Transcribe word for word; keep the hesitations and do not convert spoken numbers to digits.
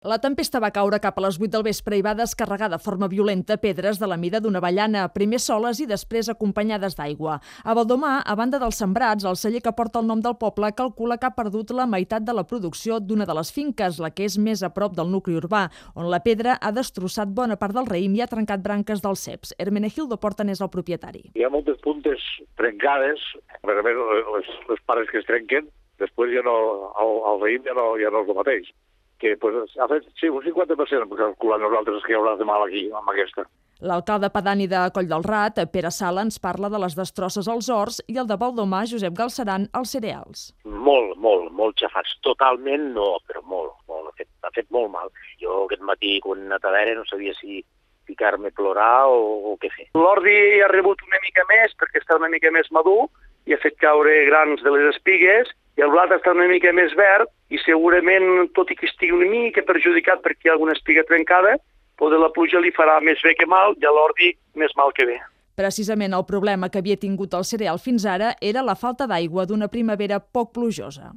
La tempesta va caure cap a les vuit del vespre i va descarregar de forma violenta pedres de la mida d'una avellana, primer soles i després acompanyades d'aigua. A Baldomà, a banda dels sembrats, el celler que porta el nom del poble calcula que ha perdut la meitat de la producció d'una de les finques, la que és més a prop del nucli urbà, on la pedra ha destrossat bona part del raïm i ha trencat branques dels ceps. Hermenegildo Porta n'és el propietari. Hi ha moltes puntes trencades, a més, les, les pares que es trenquen, després ja no, el, el raïm ja no, ja no és el mateix. Que pues, ha fet sí, un cinquanta per cent, calculant nosaltres que hi haurà de mal aquí, amb aquesta. L'alcalde pedani de Coll del Rat, Pere Sala, ens parla de les destrosses als horts i el de Baldomà, Josep Galceran, als cereals. Molt, molt, molt xafats. Totalment no, però molt, molt. Ha fet, ha fet molt mal. Jo aquest matí, quan a Tavera, no sabia si ficar-me a plorar o, o què fer. L'ordi ha rebut una mica més perquè està una mica més madur i ha fet caure grans de les espigues i el blat està una mica més verd i segurament, tot i que estigui una mica perjudicat perquè hi ha alguna espiga trencada, poder la pluja li farà més bé que mal i a l'ordi més mal que bé. Precisament el problema que havia tingut el cereal fins ara era la falta d'aigua d'una primavera poc plujosa.